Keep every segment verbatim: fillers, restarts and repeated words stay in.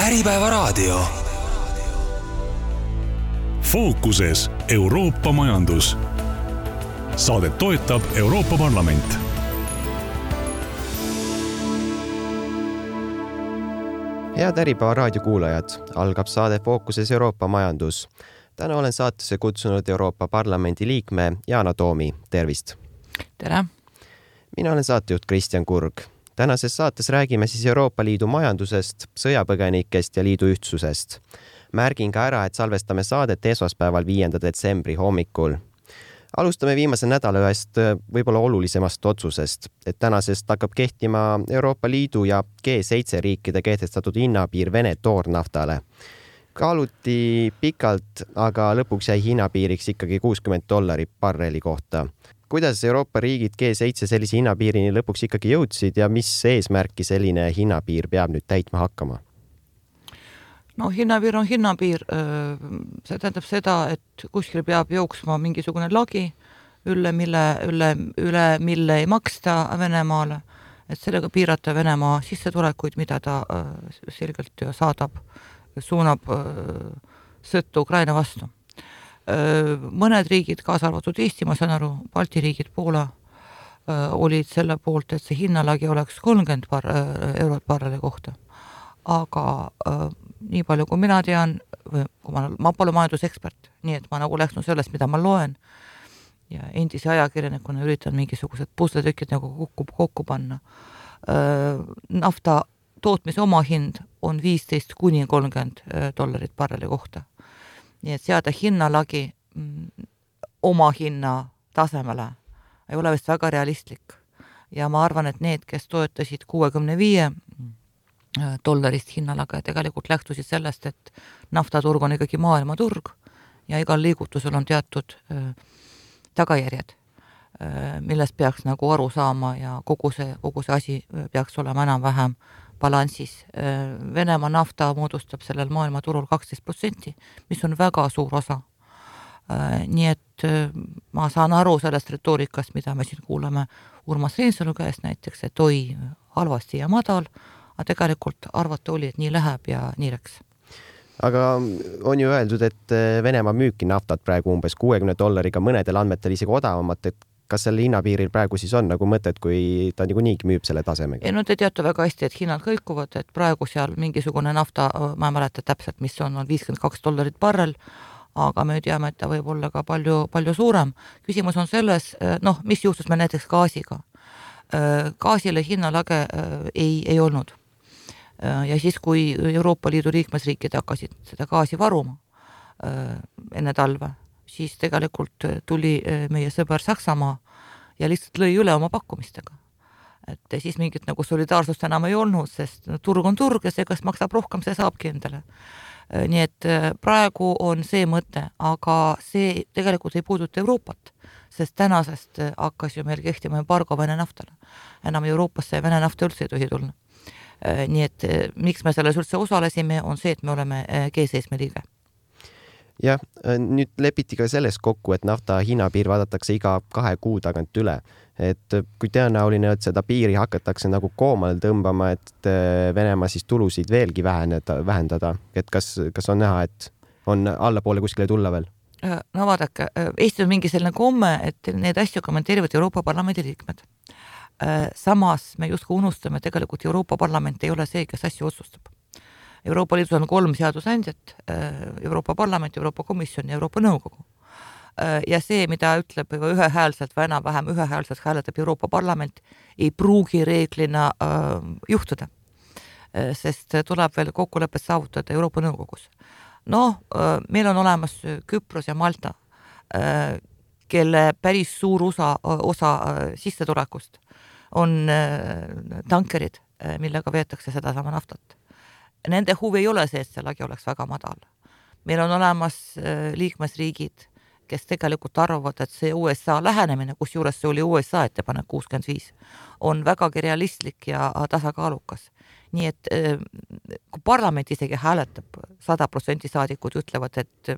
Äripäevaraadio. Fookuses Euroopa majandus. Saadet toetab Euroopa Parlament. Head Äripäevaraadio kuulajad, algab saade Fookuses Euroopa majandus. Täna olen saatesse kutsunud Euroopa Parlamendi liikme Yana Toomi. Tervist! Tere! Mina olen saatejuht Kristjan Kurg. Tänases saates räägime siis Euroopa Liidu majandusest, sõjapõgenikest ja liidu ühtsusest. Märgin ka ära, et salvestame saadet esmaspäeval viienda detsembri hommikul. Alustame viimase nädala ühest võib-olla olulisemast otsusest, et tänasest hakkab kehtima Euroopa Liidu ja G seitse riikide kehtestatud hinnapiir Vene toornaftale. Kaaluti pikalt, aga lõpuks jäi hinnapiiriks ikkagi kuuskümmend dollarit barreli kohta. Kuidas Euroopa riigid G seitse sellise hinnapiirini lõpuks ikkagi jõudsid ja mis eesmärki selline hinnapiir peab nüüd täitma hakkama? No hinnapiir on hinnapiir. See tähendab seda, et kuskil peab jooksma mingisugune lagi, üle mille, üle, üle mille ei maksta Venemaale, et sellega piirata Venemaa sissetulekuid, mida ta selgelt saadab, suunab sõttu Ukraina vastu. Mõned riigid, kaasa arvatud Eesti, ma saan aru, Balti riigid, Poola, olid selle poolt, et see hinnalagi oleks kolmkümmend bar, eurot barreli kohta. Aga nii palju, kui mina tean, või kui ma, ma pole majandusekspert, nii et ma nagu läksin sellest, mida ma loen ja endise ajakirjanikuna üritan mingisugused pusletükid nagu kokku, kokku panna. Nafta tootmise oma hind on viisteist kuni kolmkümmend dollarit barreli kohta. Nii et seada hinnalagi oma hinna tasemele ei ole vist väga realistlik. Ja ma arvan, et need, kes toetasid kuuekümne viie dollarist hinnalaga, tegelikult lähtusid sellest, et naftaturg on ikkagi maailmaturg ja igal liigutusel on teatud tagajärjed, millest peaks nagu aru saama ja kogu see, kogu see asi peaks olema enam-vähem balansis. Venemaa nafta moodustab sellel maailmaturul kaksteist protsenti, mis on väga suur osa. Nii et ma saan aru sellest retoorikast, mida me siin kuuleme Urmas Reinsalu käest näiteks, et oi, halvasti ja madal, aga tegelikult arvata oli, et nii läheb ja nii läks. Aga on ju öeldud, et Venemaa müüki naftat praegu umbes kuuekümne dollariga, mõnedel andmetel isegi odavamat, et kas selle hinnapiiril praegu siis on nagu mõtet, kui ta nagu niigi müüb selle tasemega? Ei, no te teate väga hästi, et hinnad kõikuvad, et praegu seal mingisugune nafta, ma ei mäleta täpselt, mis on, on viiskümmend kaks dollarit barrel, aga me teame, et ta võib olla ka palju, palju suurem. Küsimus on selles, noh, mis juhtus me näiteks gaasiga. Gaasile hinnalage ei, ei olnud. Ja siis, kui Euroopa Liidu liikmesriikid hakkasid seda gaasi varuma enne talve, siis tegelikult tuli meie sõber Saksamaa ja lihtsalt lõi üle oma pakkumistega. Et siis mingit nagu solidaarsust enam ei olnud, sest turg on turg ja see, kas maksab rohkem, see saabki endale. Nii et praegu on see mõte, aga see tegelikult ei puuduta Euroopat, sest tänasest hakkas ju meil kehtima embargo Vene naftale. Enam Euroopasse Vene nafta üldse ei tohi tulla. Nii et miks me selles üldse osalesime, on see, et me oleme G seitse liige. Jah, nüüd lepiti ka selles kokku, et nafta hinnapiir vaadatakse iga kahe kuu tagant üle. Et kui tõenäoline, et seda piiri hakatakse nagu koomale tõmbama, et Venemaa siis tulusid veelgi väheneda, vähendada. Et kas, kas on näha, et on allapoole kuskile tulla veel? No vaadake, Eesti on mingi selline komme, et need asju kommenteerivad Euroopa Parlamendi liikmed. Samas me justkui unustame, tegelikult Euroopa Parlament ei ole see, kes asju otsustab. Euroopa Liidus on kolm seadusandjat, Euroopa Parlament, Euroopa Komisjon ja Euroopa Nõukogu. Ja see, mida ütleb ühehäälselt või enam-vähem ühehäälselt hääletab Euroopa Parlament, ei pruugi reeglina juhtuda, sest tuleb veel kokkulepet saavutada Euroopa Nõukogus. No, meil on olemas Küpros ja Malta, kelle päris suur osa, osa sissetulekust on tankerid, millega veetakse seda sama naftat. Nende huvi ei ole see, et see lagi oleks väga madal. Meil on olemas liikmesriigid, kes tegelikult arvavad, et see U S A lähenemine, kus juures see oli U S A ettepanek kuuskümmend viis, on vägagi realistlik ja tasakaalukas. Nii et kui parlament isegi hääletab, sada protsenti saadikud ütlevad, et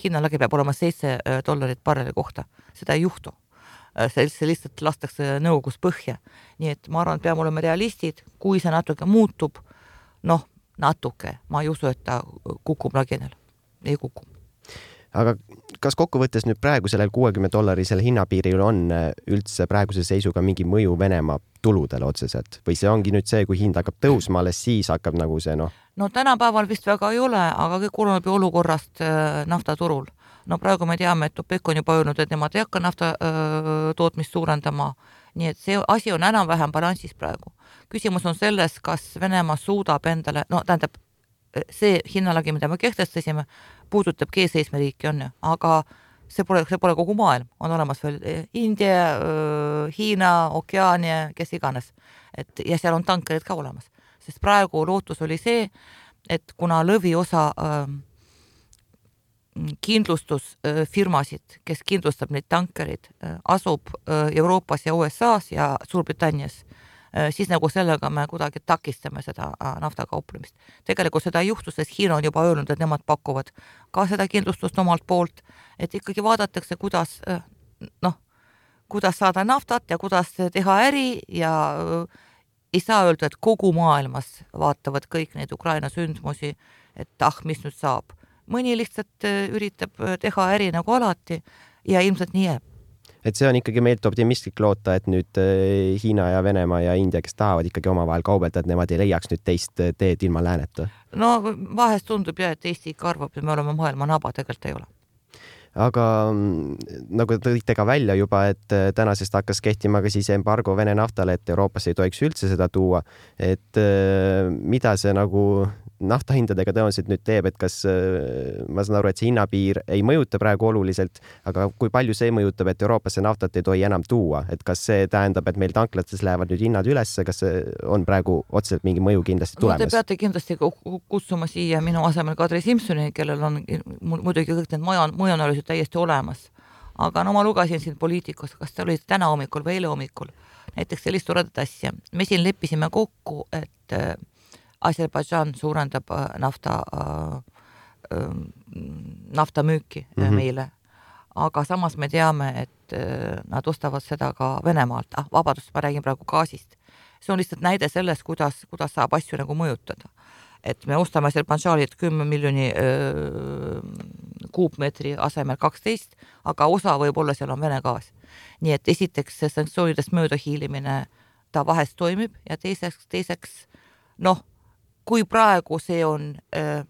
hinnalagi peab olema seitse dollarit barreli kohta, seda ei juhtu. See lihtsalt lastakse nõukogus põhja. Nii et ma arvan, et peame olema realistid, kui see natuke muutub, noh, natuke, ma ei usu, et ta kukub laginel, ei kuku. Aga kas kokkuvõttes nüüd praegu sellel kuuekümne dollarisel hinnapiiril on üldse praeguse seisuga mingi mõju Venemaa tuludele otseselt? Või see ongi nüüd see, kui hind hakkab tõusma, alles siis hakkab nagu see noh? No tänapäeval vist väga ei ole, aga kõik oleneb ju olukorrast naftaturul. No praegu me teame, et OPEC on juba öelnud, et nemad ei hakka nafta öö, tootmist suurendama. Nii et see asi on enam vähem balansis praegu. Küsimus on selles, kas Venemaa suudab endale, no tähendab, see hinnalagi, mida me kehtestasime, puudutab G seitsme riiki on ju, aga see pole, see pole kogu maailm, on olemas veel India, Hiina, Okeania, kes iganes. Et, ja seal on tankerid ka olemas, sest praegu lootus oli see, et kuna lõviosa äh, kindlustusfirmasid, kes kindlustab neid tankerid, äh, asub äh, Euroopas ja U S A-s ja Suurbritannias, siis nagu sellega me kuidagi takistame seda naftakauplemist. Tegelikult seda ei juhtu, sest Hiina on juba öelnud, et nemad pakuvad ka seda kindlustust omalt poolt, et ikkagi vaadatakse, kuidas, noh, kuidas saada naftat ja kuidas teha äri ja ei saa öelda, et kogu maailmas vaatavad kõik neid Ukraina sündmusi, et ah, mis nüüd saab. Mõni lihtsalt üritab teha äri nagu alati ja ilmselt nii jääb. Et see on ikkagi meilt optimistlik loota, et nüüd Hiina ja Venemaa ja India, kes tahavad ikkagi omavahel kaubelda, et nemad ei leiaks nüüd teist teed ilma lääneta. No vahest tundub jah, et Eesti ikka arvab, et me oleme maailma naba, tegelikult ei ole. Aga nagu tõite ka välja juba, et tänasest hakkas kehtima ka siis embargo Vene naftale, et Euroopas ei tohiks üldse seda tuua. Et mida see nagu naftahindadega tõenäoliselt nüüd teeb, et kas ma saan aru, et see hinnapiir ei mõjuta praegu oluliselt, aga kui palju see mõjutab, et Euroopasse naftat ei tohi enam tuua, et kas see tähendab, et meil tanklates lähevad nüüd hinnad ülesse, kas see on praegu otseselt mingi mõju kindlasti tulemas? No te peate kindlasti kutsuma siia minu asemel Kadri Simsoni, kellel on muidugi kõik need mõjuanalüüsid täiesti olemas. Aga no ma lugesin siin poliitikus, kas te olid täna hommikul või eile hommikul, näiteks sellist toredat asja. Me siin leppisime kokku, et Aserbaidžan suurendab nafta, nafta müüki mm-hmm. meile, aga samas me teame, et nad ostavad seda ka Venemaalt. Ah, vabadust, ma räägin praegu gaasist. See on lihtsalt näide sellest, kuidas, kuidas saab asju nagu mõjutada. Et me ostame Aserbaidžanilt kümme miljoni öö, kuupmeetri asemel kaksteist, aga osa võib olla seal on Vene gaas. Nii et esiteks see sanktsioonidest mööda hiilimine ta vahest toimib ja teiseks, teiseks noh, kui praegu see on äh,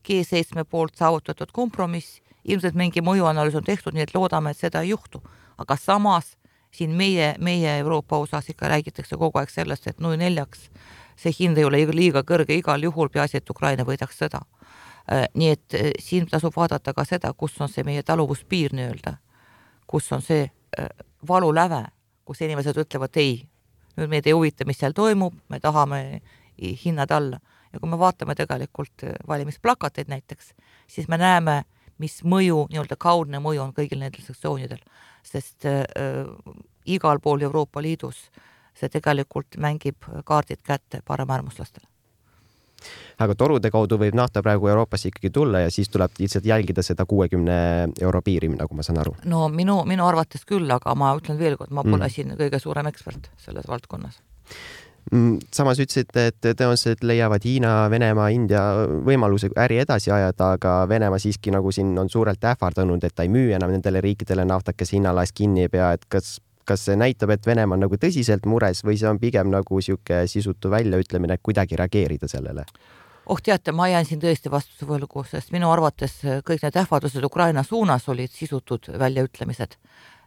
G seitsme poolt saavutatud kompromiss, ilmselt mingi mõjuanalüüs on tehtud, nii et loodame, et seda ei juhtu. Aga samas siin meie, meie Euroopa osas ikka räägitakse kogu aeg sellest, et null neljaks see hind ei ole liiga kõrge igal juhul, peaasi, et Ukraina võidaks seda. Äh, nii et äh, siin tasub vaadata ka seda, kus on see meie taluvuspiir nii-öelda, kus on see äh, valuläve, kus inimesed ütlevad ei, nüüd meid ei huvita, mis seal toimub, me tahame hinnad alla. Ja kui me vaatame tegelikult valimisplakateid näiteks, siis me näeme, mis mõju, nii-öelda kaudne mõju on kõigil nendel sanktsioonidel, sest äh, igal pool Euroopa Liidus see tegelikult mängib kaardid kätte paremäärmuslastele. Aga torude kaudu võib nafta praegu Euroopasse ikkagi tulla ja siis tuleb lihtsalt jälgida seda kuuekümne euro piiri, nagu ma saan aru. No minu, minu arvates küll, aga ma ütlen veel kord, ma pole mm. siin kõige suurem ekspert selles valdkonnas. Samas ütlesite, et tõenäoliselt leiavad Hiina, Venemaa, India võimaluse äri edasi ajada, aga Venemaa siiski nagu siin on suurelt ähvardanud, et ta ei müü enam nendele riikidele naftat, kes hinnalaes kinni ei pea, et kas, kas see näitab, et Venemaa on nagu tõsiselt mures või see on pigem nagu siuke sisutu väljaütlemine, et kuidagi reageerida sellele? Oh teate, ma jään siin tõesti vastuse võlgu, sest minu arvates kõik need ähvardused Ukraina suunas olid sisutud väljaütlemised,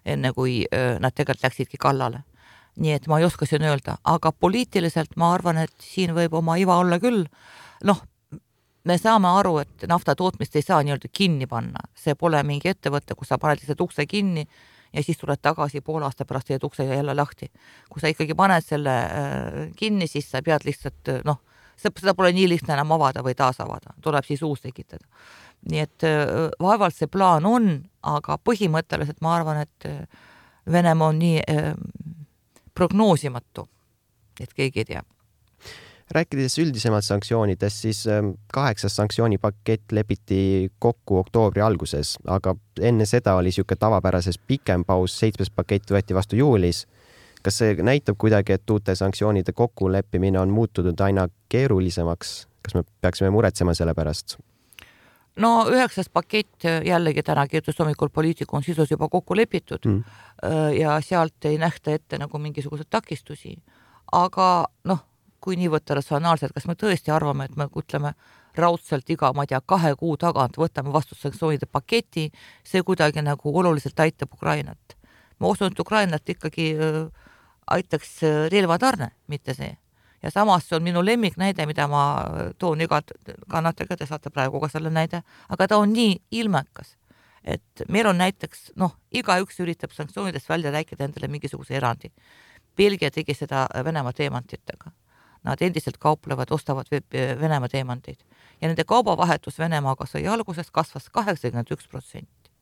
enne kui nad tegelikult läksidki kallale. Nii et ma ei oska siin öelda, aga poliitiliselt ma arvan, et siin võib oma iva olla küll. Noh, me saame aru, et nafta tootmist ei saa nii-öelda kinni panna. See pole mingi ettevõte, kus sa paned lihtsalt ukse kinni ja siis tuled tagasi pool aasta pärast ja ukse jälle lahti. Kui sa ikkagi paned selle kinni, siis sa pead lihtsalt, noh, seda pole nii lihtne enam avada või taas avada. Tuleb siis uus tekitada. Nii et vaevalt see plaan on, aga põhimõtteliselt ma arvan, et Venemaa on nii prognoosimatu, et keegi ei tea. Rääkides üldisemalt sanktsioonidest, siis kaheksas sanktsioonipakett lepiti kokku oktoobri alguses, aga enne seda oli siuke tavapärases pikem paus, seitsmes pakett võeti vastu juulis. kas see näitab kuidagi, et uute sanktsioonide kokkuleppimine on muutunud aina keerulisemaks? Kas me peaksime muretsema selle pärast? No üheksas pakett jällegi täna kirjutas hommikul Poliitikon sisus juba kokku lepitud mm. ja sealt ei nähta ette nagu mingisugused takistusi. Aga noh, kui nii võtta ratsionaalselt, kas me tõesti arvame, et me ütleme raudselt iga, ma tea, kahe kuu tagant võtame vastu sanktsioonide paketi, see kuidagi nagu oluliselt aitab Ukrainat. Ma usun, et Ukrainat ikkagi aitaks relvatarne, mitte see. Ja samas see on minu lemmik näide, mida ma toon iga kannatega, te saate praegu ka selle näide, aga ta on nii ilmekas, et meil on näiteks, noh, igaüks üritab sanktsioonidest välja rääkida endale mingisuguse erandi. Belgia tegi seda Venemaa teemantitega. Nad endiselt kauplevad, ostavad Venemaa teemanteid. Ja nende kaubavahetus Venemaaga sõi alguses kasvas kaheksakümmend üks protsenti.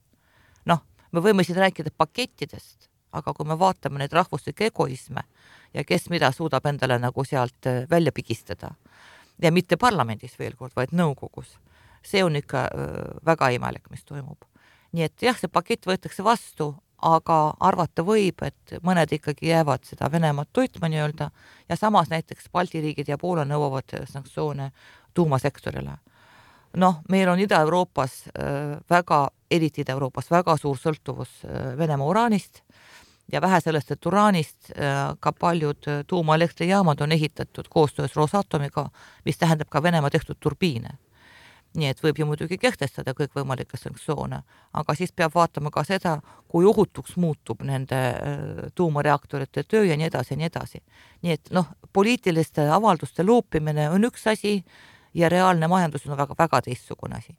Noh, me võime siin rääkida pakettidest, aga kui me vaatame neid rahvuslikke egoisme ja kes mida suudab endale nagu sealt välja pigistada ja mitte parlamendis veel kord, vaid nõukogus, see on ikka väga imelik, mis toimub. Nii et jah, see pakett võetakse vastu, aga arvata võib, et mõned ikkagi jäävad seda Venemaad toitma nii-öelda ja samas näiteks Balti riigid ja Poola nõuavad sanktsioone tuumasektorile. Noh, meil on Ida-Euroopas väga, eriti Ida-Euroopas väga suur sõltuvus Venemaa uraanist ja vähe sellest, et uraanist ka paljud tuumaelektrijaamad on ehitatud koostöös Rosatomiga, mis tähendab ka Venemaa tehtud turbiine. Nii et võib ju muidugi kehtestada kõik võimalikke sanktsioone, aga siis peab vaatama ka seda, kui ohutuks muutub nende tuumareaktorite töö ja nii edasi ja nii edasi. Nii et noh, poliitiliste avalduste loopimine on üks asi ja reaalne majandus on väga, väga teistsugune asi.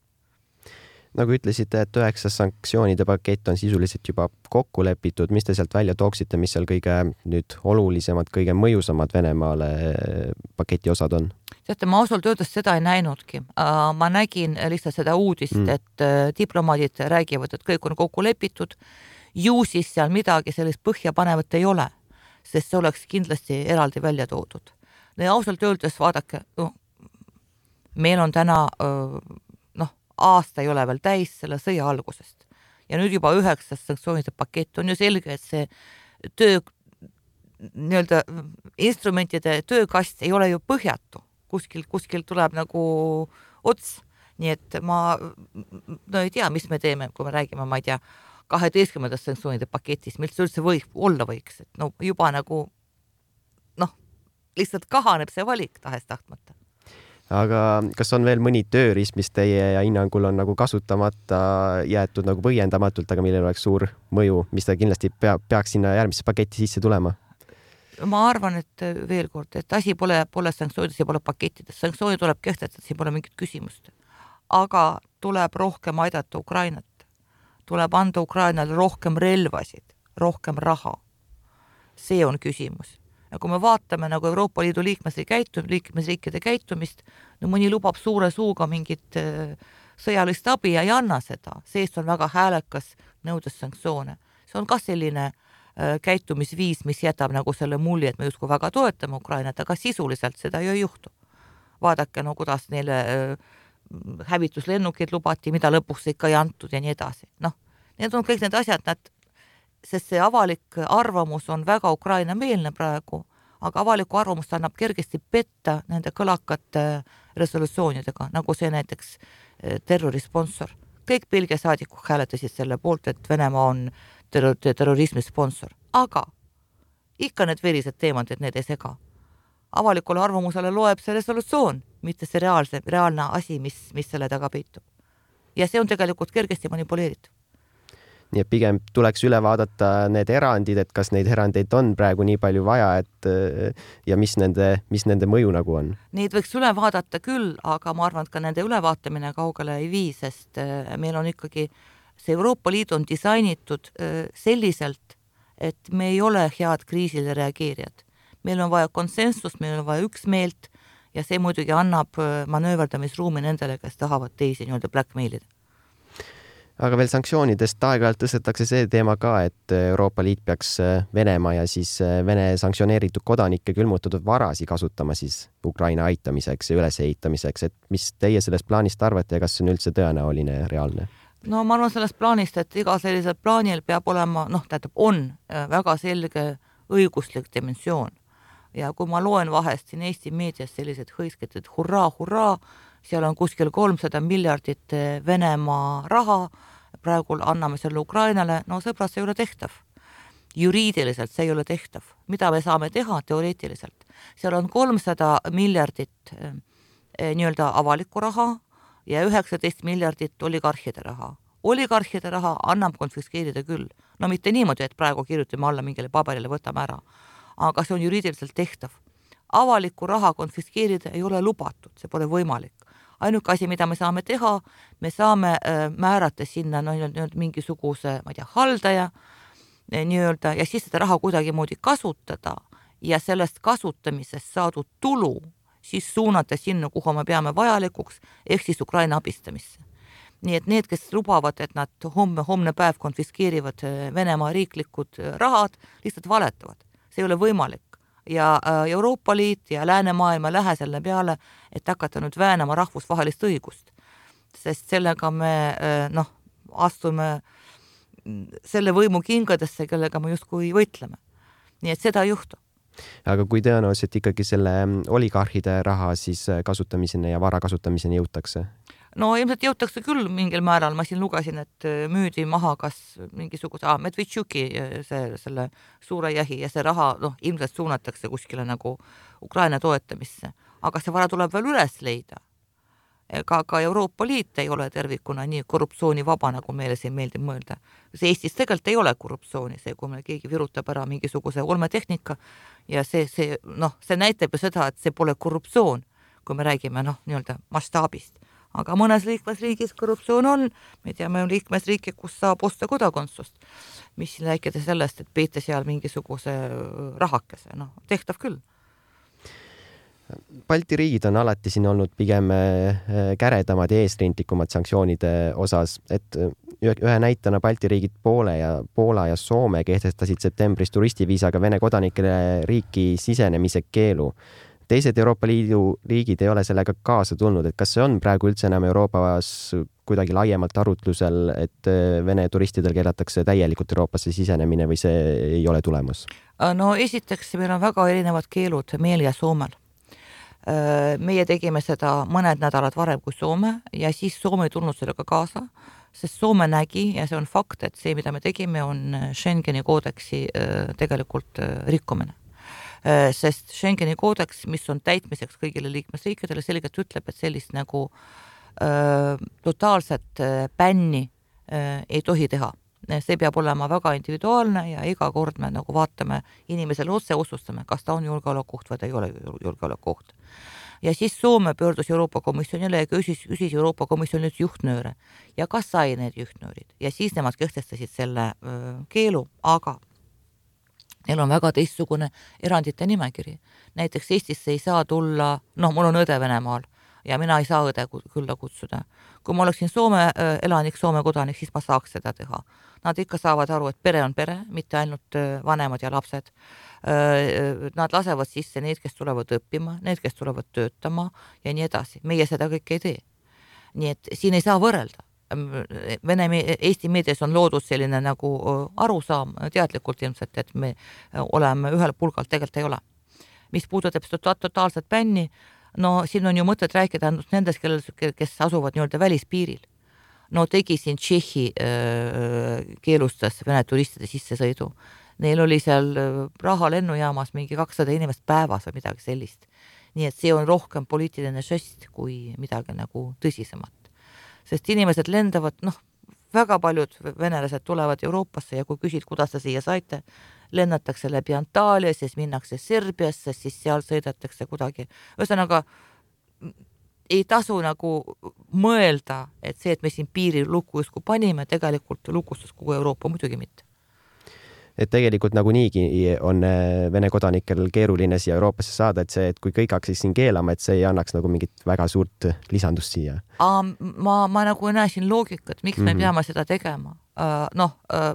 Nagu ütlesite, et üheksa sanktsioonide pakett on sisuliselt juba kokku lepitud, mis te sealt välja tooksite, mis seal kõige nüüd olulisemad, kõige mõjusamad Venemaale paketi osad on? Teate, ma ausalt öeldes seda ei näinudki. Ma nägin lihtsalt seda uudist, mm. et diplomaadid räägivad, et kõik on kokku lepitud. Ju siis seal midagi sellist põhjapanevat ei ole, sest see oleks kindlasti eraldi välja toodud. No ja ausalt öeldes vaadake, no, meil on täna noh, aasta ei ole veel täis selle sõja algusest. Ja nüüd juba üheksas sanktsioonide pakett on ju selge, et see töö, nii-öelda instrumentide töökast ei ole ju põhjatu. Kuskil, kuskil tuleb nagu ots. Nii et ma no ei tea, mis me teeme, kui me räägime, ma ei tea, kaheteistkümnendast sanktsioonide paketist, mis üldse võib, olla võiks. Et no juba nagu noh, lihtsalt kahaneb see valik tahes tahtmata. Aga kas on veel mõni tööriist, mis teie ja hinnangul on nagu kasutamata jäetud nagu põhjendamatult, aga millel oleks suur mõju, mis ta kindlasti pea, peaks sinna järgmisse paketi sisse tulema? Ma arvan, et veel kord, et asi pole, pole sanktsioonides ja pole pakettides. Sanktsiooni tuleb kehtestada, siin pole mingit küsimust. Aga tuleb rohkem aidata Ukrainat. Tuleb anda Ukrainale rohkem relvasid, rohkem raha. See on küsimus. Ja kui me vaatame nagu Euroopa Liidu liikmesriikide käitumist, no mõni lubab suure suuga mingit sõjalist abi ja ei anna seda. Seest on väga häälekas nõudes sanktsioone. See on ka selline käitumisviis, mis jätab nagu selle mulje, et me justkui väga toetame Ukrainat, aga sisuliselt seda ju ei juhtu. Vaadake, no kuidas neile hävituslennukid lubati, mida lõpuks ikka ei antud ja nii edasi. Noh, need on kõik need asjad, nad, sest see avalik arvamus on väga Ukraina meelne praegu, aga avaliku arvamust annab kergesti petta nende kõlakate resolutsioonidega, nagu see näiteks terrorisponsor. Kõik Belgia saadikud hääletasid selle poolt, et Venemaa on terrorismi sponsor. Aga ikka need verised teemad, et need ei sega. Avalikule arvamusele loeb see resolutsioon, mitte see reaalse, reaalne asi, mis, mis selle taga peitub. Ja see on tegelikult kergesti manipuleeritud. Nii et pigem tuleks üle vaadata need erandid, et kas neid erandeid on praegu nii palju vaja, et ja mis nende, mis nende mõju nagu on? Neid võiks üle vaadata küll, aga ma arvan, et ka nende ülevaatamine kaugele ei vii, sest meil on ikkagi see Euroopa Liit on disainitud selliselt, et me ei ole head kriisile reageerijad. Meil on vaja konsensust, meil on vaja üksmeelt ja see muidugi annab manööverdamisruumi nendele, kes tahavad teisi nii-öelda blackmailida. Aga veel sanktsioonidest aeg-ajalt tõstetakse see teema ka, et Euroopa Liit peaks Venemaa ja siis Vene sanktsioneeritud kodanike külmutatud varasi kasutama siis Ukraina aitamiseks ja ülesehitamiseks. Et mis teie sellest plaanist arvate ja kas see on üldse tõenäoline ja reaalne? No ma arvan sellest plaanist, et iga sellisel plaanil peab olema, noh, tähendab, on väga selge õiguslik dimensioon. Ja kui ma loen vahest siin Eesti meedias sellised hõisked, et hurraa, hurraa, seal on kuskil kolmsada miljardit Venemaa raha, praegu anname selle Ukrainale, no sõbrad, see ei ole tehtav. Juriidiliselt see ei ole tehtav. Mida me saame teha teoreetiliselt? Seal on kolmsada miljardit eh, nii-öelda avalikku raha ja üheksateist miljardit oligarhide raha. Oligarhide raha annab konfiskeerida küll. No mitte niimoodi, et praegu kirjutame alla mingile paberile, võtame ära. Aga see on juriidiliselt tehtav. Avalikku raha konfiskeerida ei ole lubatud, see pole võimalik. Ainuke asi, mida me saame teha, me saame äh, määrata sinna no, nii-öelda mingisuguse, ma ei tea, haldaja nii-öelda, ja siis seda raha kuidagi moodi kasutada ja sellest kasutamisest saadud tulu siis suunata sinna, kuhu me peame vajalikuks, ehk siis Ukraina abistamisse. Nii et need, kes lubavad, et nad homme, homne päev konfiskeerivad Venemaa riiklikud rahad, lihtsalt valetavad. See ei ole võimalik. Ja Euroopa Liit ja läänemaailma lähe selle peale, et hakata nüüd väänama rahvusvahelist õigust. Sest sellega me noh, astume selle võimu kingadesse, kellega me justkui võitleme. Nii et seda ei juhtu. Aga kui tõenäoliselt ikkagi selle oligarhide raha siis kasutamiseni ja vara kasutamiseni jõutakse? No ilmselt jõutakse küll mingil määral. Ma siin lugesin, et müüdi maha kas mingisuguse ah, Medvedtšuki see, selle suure jahi ja see raha noh, ilmselt suunatakse kuskile nagu Ukraina toetamisse. Aga see vara tuleb veel üles leida. Ka, ka Euroopa Liit ei ole tervikuna nii korruptsioonivaba, nagu meile siin meeldib mõelda. See Eestis tegelikult ei ole korruptsiooni, see, kui meil keegi virutab ära mingisuguse olmetehnika ja see, see, noh, see näitab ju seda, et see pole korruptsioon, kui me räägime noh, nii-öelda mastaabist. Aga mõnes liikmesriigis korruptsioon on, me teame liikmesriiki, kus saab osta kodakondsust, mis rääkida sellest, et peete seal mingisuguse rahakese, noh, tehtav küll. Balti riigid on alati siin olnud pigem käredamad ja eesrindlikumad sanktsioonide osas, et ühe näitena Balti riigid Poole ja, Poola ja Soome kehtestasid septembris turistiviisaga Vene kodanikele riiki sisenemise keelu. Teised Euroopa Liidu riigid ei ole sellega kaasa tulnud, et kas see on praegu üldse enam Euroopas kuidagi laiemalt arutlusel, et Vene turistidel keelatakse täielikult Euroopasse sisenemine või see ei ole tulemus? No esiteks meil on väga erinevad keelud meil ja Soomel. Meie tegime seda mõned nädalad varem kui Soome ja siis Soome ei tulnud sellega kaasa, sest Soome nägi ja see on fakt, et see, mida me tegime, on Schengeni koodeksi tegelikult rikkumine. Sest Schengeni koodeks, mis on täitmiseks kõigile liikmesriikidele, selgelt ütleb, et sellist nagu äh, totaalset bänni äh, ei tohi teha. See peab olema väga individuaalne ja iga kord me nagu vaatame inimesele otse, otsustame, kas ta on julgeolekuoht või ta ei ole julgeolekuoht. Ja siis Soome pöördus Euroopa Komisjonile ja küsis, küsis Euroopa Komisjonilt juhtnööre ja kas sai need juhtnöörid. Ja siis nemad kehtestasid selle öö, keelu, aga neil on väga teistsugune erandite nimekiri. Näiteks Eestisse ei saa tulla, noh, mul on õde Venemaal ja mina ei saa õde külla kutsuda. Kui ma oleksin Soome elanik, Soome kodanik, siis ma saaks seda teha. Nad ikka saavad aru, et pere on pere, mitte ainult vanemad ja lapsed. Nad lasevad sisse need, kes tulevad õppima, need, kes tulevad töötama ja nii edasi. Meie seda kõik ei tee. Nii et siin ei saa võrrelda. Vene, Eesti meedias on loodud selline nagu arusaam teadlikult ilmselt, et me oleme ühel pulgal, tegelikult ei ole. Mis puudutab totaalset bänni, no siin on ju mõtet rääkida ainult nendest, kes asuvad nii-öelda välispiiril. No tegi siin Tšehhi keelustas Vene turistide sissesõidu. Neil oli seal Praha lennujaamas mingi kakssada inimest päevas või midagi sellist. Nii et see on rohkem poliitiline žest kui midagi nagu tõsisemat. Sest inimesed lendavad, noh, väga paljud venelased tulevad Euroopasse ja kui küsid, kuidas te siia saite, lennatakse läbi Antaalia, siis minnakse Serbiasse, siis seal sõidatakse kuidagi. Ühesõnaga, ei tasu nagu mõelda, et see, et me siin piiri luku justkui panime, tegelikult lukustas kogu Euroopa muidugi mitte. Et tegelikult nagu niigi on Vene kodanikel keeruline siia Euroopasse saada, et see, et kui kõik haksis siin keelama, et see ei annaks nagu mingit väga suurt lisandust siia. Aa, ma, ma nagu näen siin loogikat, miks me mm-hmm. peame seda tegema. Uh, noh, uh,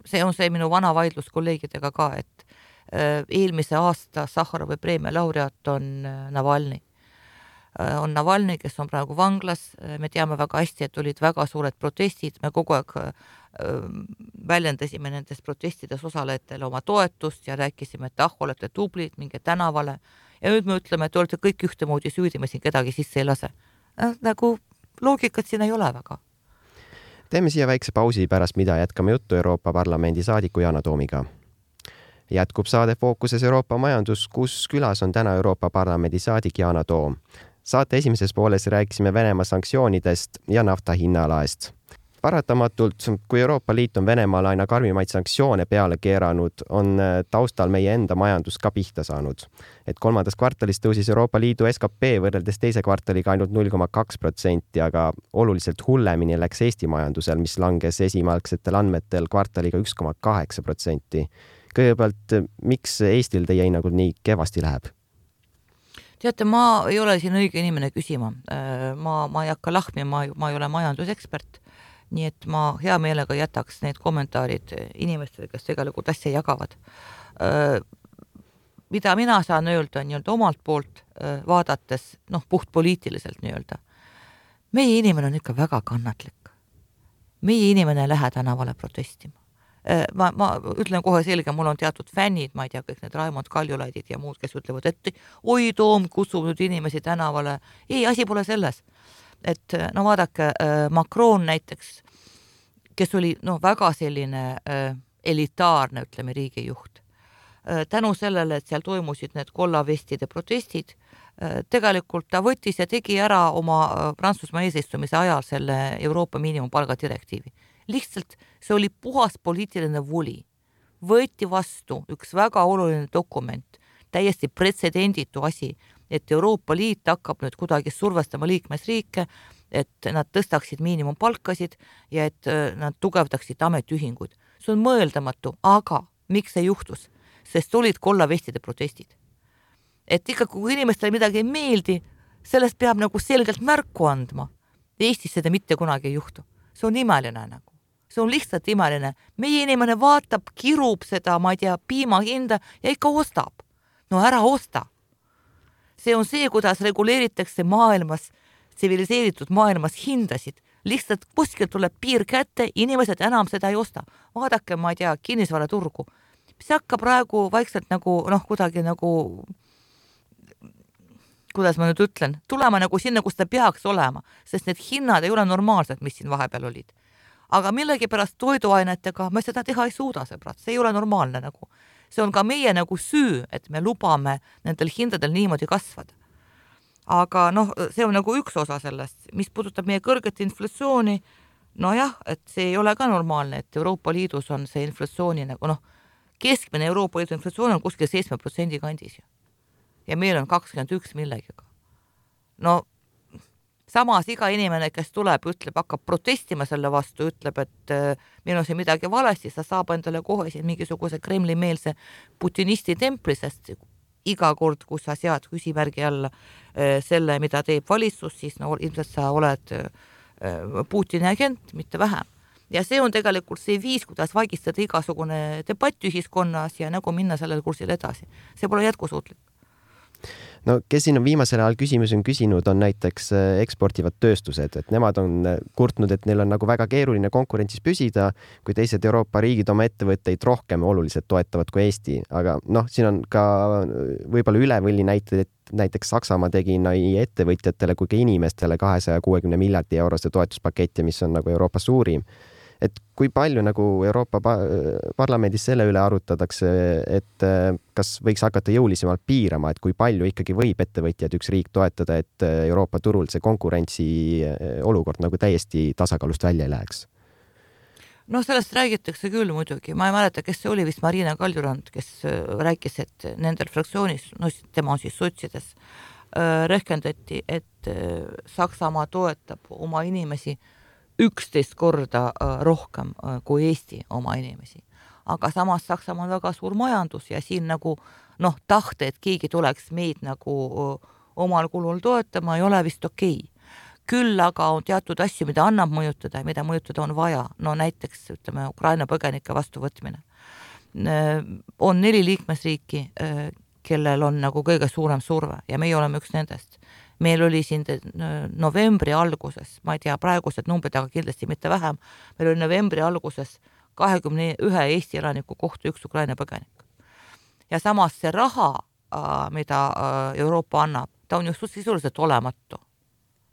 see on see minu vana vaidlus kolleegidega ka, et uh, eelmise aasta Sahharovi preemia laureaat on uh, Navalny. on Navalny, kes on praegu vanglas, me teame väga hästi, et olid väga suured protestid, me kogu aeg väljendasime nendes protestides osalejatele oma toetust ja rääkisime, et ah, olete tublid, minge tänavale ja nüüd me ütleme, et olete kõik ühtemoodi süüdi, me siin kedagi sisse ei lase. Nagu loogikat siin ei ole väga. Teeme siia väikse pausi, pärast mida jätkame juttu Euroopa Parlamendi saadiku Yana Toomiga. Jätkub saade Fookuses Euroopa majandus, kus külas on täna Euroopa Parlamendi saadik Yana Toom. Saate esimeses pooles rääkisime Venemaa sanktsioonidest ja nafta hinnalaest. Paratamatult, kui Euroopa Liit on Venemaal aina karmimaid sanktsioone peale keeranud, on taustal meie enda majandus ka pihta saanud. Et kolmandas kvartalis tõusis Euroopa Liidu S K P võrreldes teise kvartaliga ainult null koma kaks protsenti, aga oluliselt hullemini läks Eesti majandusel, mis langes esimälgsetel andmetel kvartaliga üks koma kaheksa protsenti. Kõigepealt, miks Eestil teie hinnangul nii kevasti läheb? Teate, ma ei ole siin õige inimene küsima. Ma, ma ei hakka lahmi, ma, ma ei ole majandusekspert. Nii et ma hea meelega jätaks need kommentaarid inimestele, kes tegelikult asja jagavad. Mida mina saan öelda nii-öelda omalt poolt vaadates, noh, puht poliitiliselt nii-öelda. Meie inimene on ikka väga kannatlik. Meie inimene ei lähe tänavale protestima. Ma, ma ütlen kohe selge, mul on teatud fännid, ma ei tea, kõik need Raimond Kaljulaidid ja muud, kes ütlevad, et oi Toom, kutsub nüüd inimesi tänavale. Ei, asi pole selles. Et no vaadake, Macron näiteks, kes oli no, väga selline äh, elitaarne, ütleme, riigijuht. Äh, tänu sellele, et seal toimusid need kollavestide protestid, äh, tegelikult ta võttis ja tegi ära oma äh, Prantsusmaa eesistumise ajal selle Euroopa miinimumpalga direktiivi. Lihtsalt see oli puhas poliitiline voli. Võeti vastu üks väga oluline dokument, täiesti pretsedenditu asi, et Euroopa Liit hakkab nüüd kuidagi survestama liikmesriike, et nad tõstaksid miinimumpalkasid ja et nad tugevdaksid ametiühinguid. See on mõeldamatu, aga miks see juhtus? Sest olid kollavestide protestid. Et ikka, kui inimestele midagi ei meeldi, sellest peab nagu selgelt märku andma. Eestis seda mitte kunagi ei juhtu. See on imeline nagu. See on lihtsalt imeline. Meie inimene vaatab, kirub seda, ma ei tea, piima hinda ja ikka ostab. No ära osta. See on see, kuidas reguleeritakse maailmas, tsiviliseeritud maailmas hindasid. Lihtsalt kuskil tuleb piir kätte, inimesed enam seda ei osta. Vaadake, ma ei tea, kinnisvara turgu. See hakkab praegu vaikselt nagu, noh, kuidagi nagu, kuidas ma nüüd ütlen, tulema nagu sinna, kus ta peaks olema, sest need hinnad ei ole normaalsed, mis siin vahepeal olid. Aga millegi pärast toiduainetega me seda teha ei suuda, sõbrad. See ei ole normaalne nagu. See on ka meie nagu süü, et me lubame nendel hindadel niimoodi kasvada. Aga noh, see on nagu üks osa sellest, mis puudutab meie kõrget inflatsiooni. No jah, et see ei ole ka normaalne, et Euroopa Liidus on see inflatsiooni nagu noh, keskmine Euroopa Liidu inflatsioon on kuskil seitsme protsendi kandis. Ja meil on kakskümmend üks millegiga. No samas iga inimene, kes tuleb, ütleb, hakkab protestima selle vastu, ütleb, et meil on see midagi valesti, sa saab endale kohe siin mingisuguse Kremli-meelse putinisti templi, sest iga kord, kui sa sead küsimärgi alla selle, mida teeb valitsus, siis no, ilmselt sa oled Putini agent, mitte vähem. Ja see on tegelikult see viis, kuidas vaigistada igasugune debatt ühiskonnas ja nagu minna sellel kursil edasi. See pole jätkusuutlik. No kes siin on viimasel ajal küsimusi on küsinud, on näiteks eksportivad tööstused, et nemad on kurtnud, et neil on nagu väga keeruline konkurentsis püsida, kui teised Euroopa riigid oma ettevõtteid rohkem oluliselt toetavad kui Eesti. Aga noh, siin on ka võib-olla ülevõlli näited, et näiteks Saksamaa tegi nii ettevõtjatele kui ka inimestele kahesaja kuuekümne miljardi eurose toetuspaketi, mis on nagu Euroopa suurim. Et kui palju nagu Euroopa parlamendis selle üle arutatakse, et kas võiks hakata jõulisemalt piirama, et kui palju ikkagi võib ettevõtjad üks riik toetada, et Euroopa turul see konkurentsi olukord nagu täiesti tasakaalust välja ei läheks? No sellest räägitakse küll muidugi. Ma ei mäleta, kes see oli, vist Marina Kaljurand, kes rääkis, et nendel fraktsioonis, no tema on siis sotsides, rehkendati, et Saksamaa toetab oma inimesi üksteist korda rohkem kui Eesti oma inimesi. Aga samas Saksamaa on väga suur majandus ja siin nagu noh, tahte, et keegi tuleks meid nagu omal kulul toetama, ei ole vist okei. Küll aga on teatud asju, mida annab mõjutada ja mida mõjutada on vaja. No näiteks, ütleme, Ukraina põgenike vastuvõtmine. On neli liikmesriiki, kellel on nagu kõige suurem surve ja meie oleme üks nendest. meil oli siin novembri alguses, ma ei tea, praegused numbrid, aga kindlasti mitte vähem, meil oli novembri alguses kahekümne ühe Eesti elaniku kohta üks Ukraina põgenik. Ja samas see raha, mida Euroopa annab, ta on just sisuliselt olematu.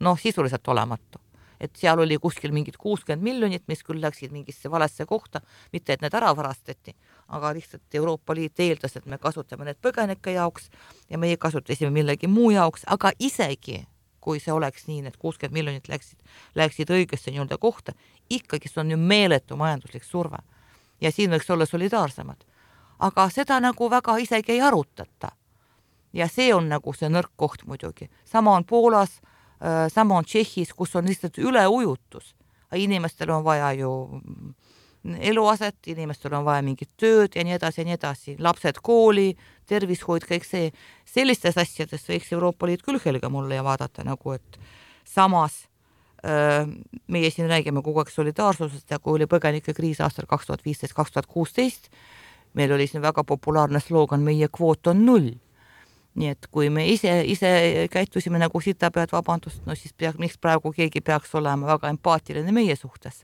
Noh, sisuliselt olematu. Et seal oli kuskil mingid kuuskümmend miljonit, mis küll läksid mingisse valesse kohta, mitte et need ära varastati, aga lihtsalt Euroopa Liit eeldas, et me kasutame need põgenike jaoks ja meie kasutasime millegi muu jaoks, aga isegi kui see oleks nii, et kuuskümmend miljonit läksid, läksid õigesse nii-öelda kohta, ikkagi see on ju meeletu majanduslik surve. Ja siin võiks olla solidaarsemad. Aga seda nagu väga isegi ei arutata. Ja see on nagu see nõrk koht muidugi. Sama on Poolas, sama on Tšehhis, kus on lihtsalt üleujutus. Inimestel on vaja ju eluaset, inimestel on vaja mingit tööd ja nii edasi ja nii edasi. Lapsed kooli, tervishoid, kõik see. Sellistes asjades võiks Euroopa Liit küll helga mulle ja vaadata nagu, et samas meie siin räägime kogu aeg solidaarsusest ja kui oli põgenike kriis aastal kaks tuhat viisteist kaks tuhat kuusteist, meil oli siin väga populaarne slogan meie kvoot on null. Nii et kui me ise, ise käitusime nagu sita pead vabandust, no siis peaks, miks praegu keegi peaks olema väga empaatiline meie suhtes.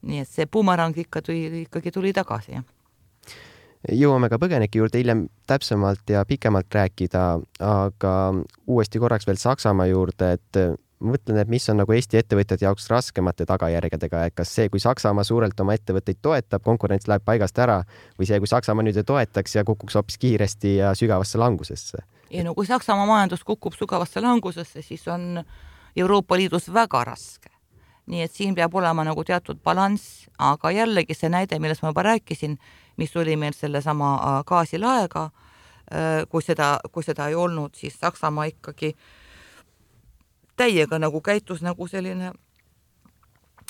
Nii et see bumerang ikka tuli, ikkagi tuli tagasi. Ja. Jõuame ka põgenike juurde hiljem täpsemalt ja pikemalt rääkida, aga uuesti korraks veel Saksamaa juurde, et mõtlen, et mis on nagu Eesti ettevõtjate jaoks raskemate tagajärgedega, et kas see, kui Saksamaa suurelt oma ettevõtteid toetab, konkurents läheb paigast ära või see, kui Saksamaa nüüd toetaks ja kukuks hoopis kiiresti ja sügavasse langusesse? Ja no kui Saksamaa majandus kukub sügavasse langusesse, siis on Euroopa Liidus väga raske. Nii et siin peab olema nagu teatud balanss, aga jällegi see näide, millest ma juba rääkisin, mis oli meil selle sama gaasilaega, kui seda, kui seda ei olnud, siis Saksamaa ikkagi täiega nagu käitus nagu selline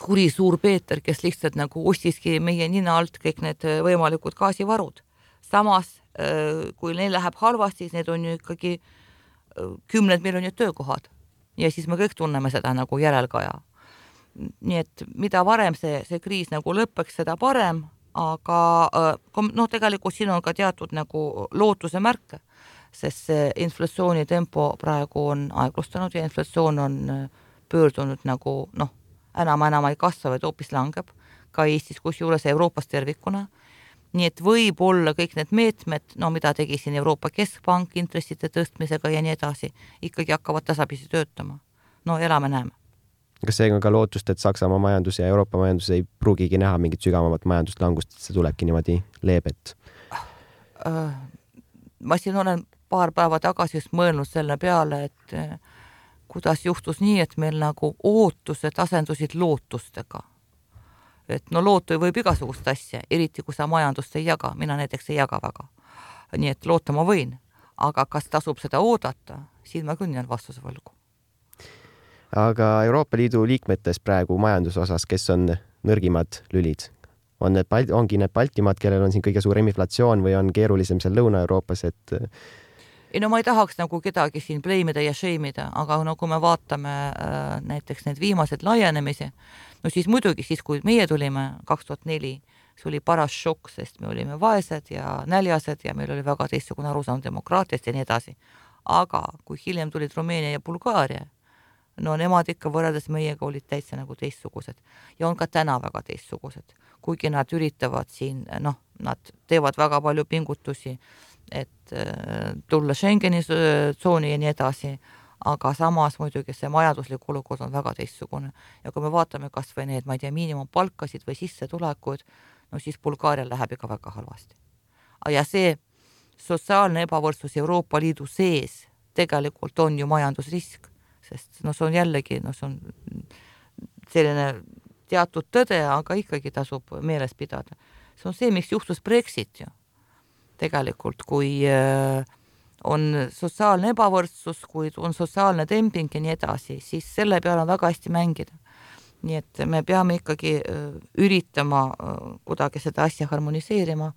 kuri suur Peeter, kes lihtsalt nagu ostiski meie nina alt kõik need võimalikud gaasivarud. Samas, kui neil läheb halvasti, siis need on ju ikkagi kümned miljonid töökohad. Ja siis me kõik tunneme seda nagu järelkaja. Nii et mida varem see, see kriis nagu lõppeks, seda parem, aga no tegelikult siin on ka teatud nagu lootuse märke, sest see inflatsiooni tempo praegu on aeglustanud ja inflatsioon on pöördunud nagu, noh, enam-enam ei kasva, vaid hoopis langeb ka Eestis, kusjuures Euroopas tervikuna. Nii et võib olla kõik need meetmed, no mida tegi siin Euroopa Keskpank intressite tõstmisega ja nii edasi, ikkagi hakkavad tasapisi töötama. No elame näeme. Kas see on ka lootust, et Saksamaa majandus ja Euroopa majandus ei pruugigi näha mingit sügavamat majanduslangust, et see tulebki niimoodi leebet? Ma siin olen paar päeva tagasi just mõelnud selle peale, et kuidas juhtus nii, et meil nagu ootused asendusid lootustega. Et no lootu võib igasugust asja, eriti kui sa majandust ei jaga, mina näiteks ei jaga väga. Nii et loota ma võin, aga kas tasub seda oodata, siin ma küll jään vastuse võlgu. Aga Euroopa Liidu liikmetes praegu majanduse osas, kes on nõrgimad lülid? On need, ongi need Baltimaad, kellel on siin kõige suurem inflatsioon või on keerulisem seal Lõuna-Euroopas, et ei no ma ei tahaks nagu kedagi siin pleimida ja šeimida, aga no kui me vaatame äh, näiteks need viimased laienemisi, no siis muidugi siis, kui meie tulime kaks tuhat neli, see oli paras šokk, sest me olime vaesed ja näljased ja meil oli väga teistsugune arusaam demokraatiast ja nii edasi. Aga kui hiljem tulid Rumeenia ja Bulgaaria, no nemad ikka võrreldes meiega olid täitsa nagu teistsugused ja on ka täna väga teistsugused. Kuigi nad üritavad siin, noh, nad teevad väga palju pingutusi, et tulla Schengeni tsooni ja nii edasi, aga samas muidugi see majanduslik olukord on väga teistsugune. Ja kui me vaatame kas või need, ma ei tea, miinimumpalkasid või sissetulekud, no siis Bulgaarial läheb ikka väga halvasti. Ja see sotsiaalne ebavõrdsus Euroopa Liidu sees tegelikult on ju majandusrisk, sest no see on jällegi, no see on selline teatud tõde, aga ikkagi tasub meeles pidada. See on see, miks juhtus Brexit ju. Tegelikult, kui on sotsiaalne ebavõrdsus, kui on sotsiaalne demping ja nii edasi, siis selle peale on väga hästi mängida. Nii et me peame ikkagi üritama kuidagi seda asja harmoniseerima,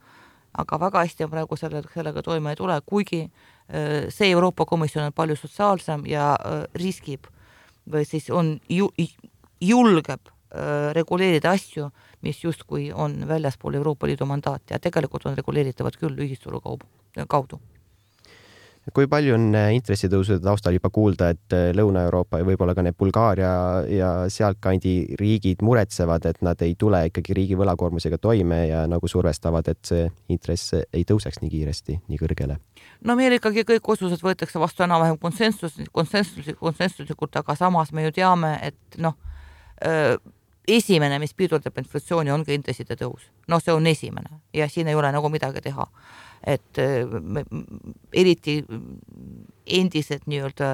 aga väga hästi on praegu sellega, sellega toime ei tule, kuigi see Euroopa Komisjon on palju sotsiaalsem ja riskib või siis on ju, julgeb reguleerida asju, mis justkui on väljaspool Euroopa Liidu mandaat ja tegelikult on reguleeritavad küll ühisturu kaudu. Kui palju on intressitõusude taustal juba kuulda, et Lõuna-Euroopa ja võib-olla ka need Bulgaaria ja sealtkandi riigid muretsevad, et nad ei tule ikkagi riigi võlakoormusega toime ja nagu survestavad, et see intress ei tõuseks nii kiiresti, nii kõrgele? No meil ikkagi kõik otsused võetakse vastu enam-vähem konsensus, konsensuslikult, konsensuslikult, aga samas me ju teame, et noh, esimene, mis pidurdab inflatsiooni, ongi intresside tõus. No see on esimene ja siin ei ole nagu midagi teha. Et me, eriti endised nii-öelda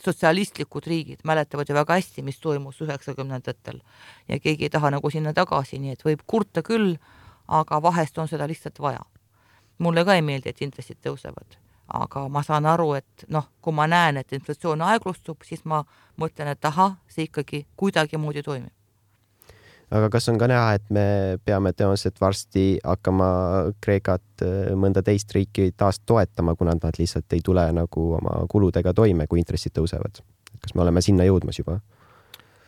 sotsialistlikud riigid mäletavad ju väga hästi, mis toimus üheksakümnendatel ja keegi ei taha nagu sinna tagasi, nii et võib kurta küll, aga vahest on seda lihtsalt vaja. Mulle ka ei meeldi, et intressid tõusevad, aga ma saan aru, et noh, kui ma näen, et inflatsioon aeglustub, siis ma mõtlen, et aha, see ikkagi kuidagi moodi toimib. Aga kas on ka näha, et me peame tõenäoliselt varsti hakkama Kreekat mõnda teist riiki taas toetama, kuna nad lihtsalt ei tule nagu oma kuludega toime, kui intressid tõusevad? Kas me oleme sinna jõudmas juba?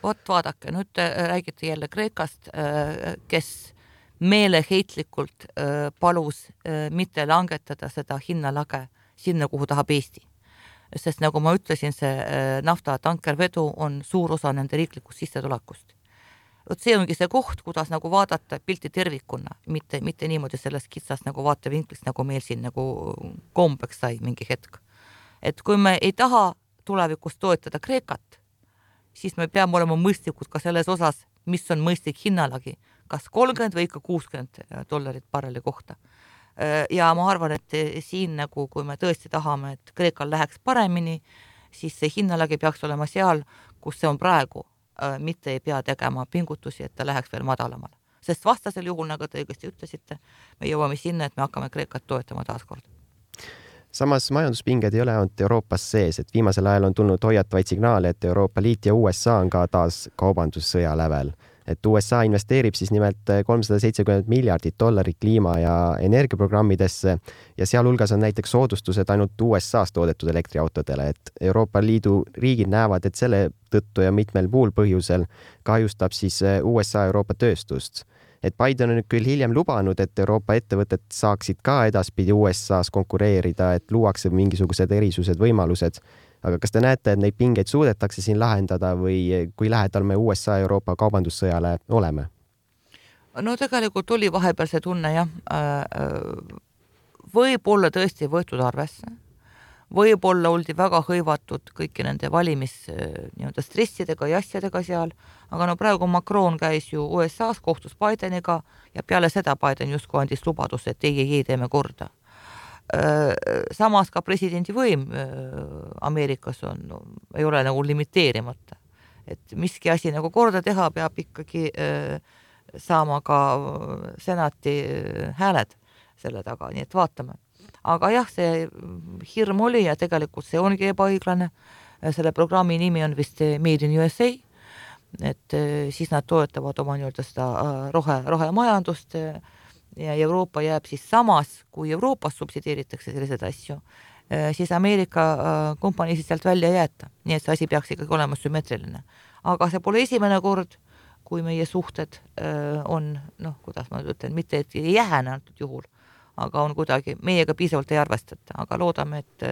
Vot vaadake, nüüd te räägite jälle Kreekast, kes meeleheitlikult palus mitte langetada seda hinnalage sinna, kuhu tahab Eesti. Sest nagu ma ütlesin, see nafta tankervedu on suur osa nende riiklikust sissetulekust. Vot see ongi see koht, kuidas nagu vaadata pilti tervikuna, mitte, mitte niimoodi sellest kitsast nagu vaatevinklist, nagu meil siin nagu kombeks sai mingi hetk. Et kui me ei taha tulevikus toetada Kreekat, siis me peame olema mõistlikud ka selles osas, mis on mõistlik hinnalagi, kas kolmkümmend või ikka kuuskümmend dollarit barreli kohta. Ja ma arvan, et siin nagu, kui me tõesti tahame, et Kreekal läheks paremini, siis see hinnalagi peaks olema seal, kus see on praegu, mitte ei pea tegema pingutusi, et ta läheks veel madalamale. Sest vastasel juhul, nagu te õigesti ütlesite, me jõuame sinna, et me hakkame Kreekat toetama taaskord. Samas majanduspinged ei ole ainult Euroopas sees, et viimasel ajal on tulnud hoiatavaid signaale, et Euroopa Liit ja U S A on ka taas kaubandussõja lävel. Et U S A investeerib siis nimelt kolmsada seitsekümmend miljardit dollarit kliima- ja energiaprogrammidesse ja sealhulgas on näiteks soodustused ainult U S A-s toodetud elektriautodele, et Euroopa Liidu riigid näevad, et selle tõttu ja mitmel muul põhjusel kahjustab siis U S A Euroopa tööstust. Et Biden on nüüd küll hiljem lubanud, et Euroopa ettevõtted saaksid ka edaspidi U S A-s konkureerida, et luuakse mingisugused erisused, võimalused. Aga kas te näete, et neid pingeid suudetakse siin lahendada või kui lähedal me U S A Euroopa kaubandussõjale oleme? No tegelikult oli vahepeal see tunne, jah. Võib-olla tõesti võetud arvesse. Võib-olla oldi väga hõivatud kõiki nende valimis nii-öelda stressidega ja asjadega seal, aga no praegu Macron käis ju U S A-s, kohtus Bideniga ja peale seda Biden justkui andis lubadus, et ei, ei, ei teeme korda. Samas ka presidendi võim Ameerikas on, no, ei ole nagu limiteerimata. Et miski asi nagu korda teha peab ikkagi saama ka senati hääled selle taga, nii et vaatame. Aga jah, see hirm oli ja tegelikult see ongi ebaõiglane. Selle programmi nimi on vist Made in U S A, et siis nad toetavad oma nii-öelda seda rohe, rohemajandust ja Euroopa jääb siis samas, kui Euroopas subsideeritakse sellised asju, siis Ameerika kompanii siis sealt välja jäeta. Nii et see asi peaks ikkagi olema sümmetriline. Aga see pole esimene kord, kui meie suhted on, noh, kuidas ma ütlen, mitte et ei jääne antud juhul, aga on kuidagi, meiega piisavalt ei arvestata, aga loodame, et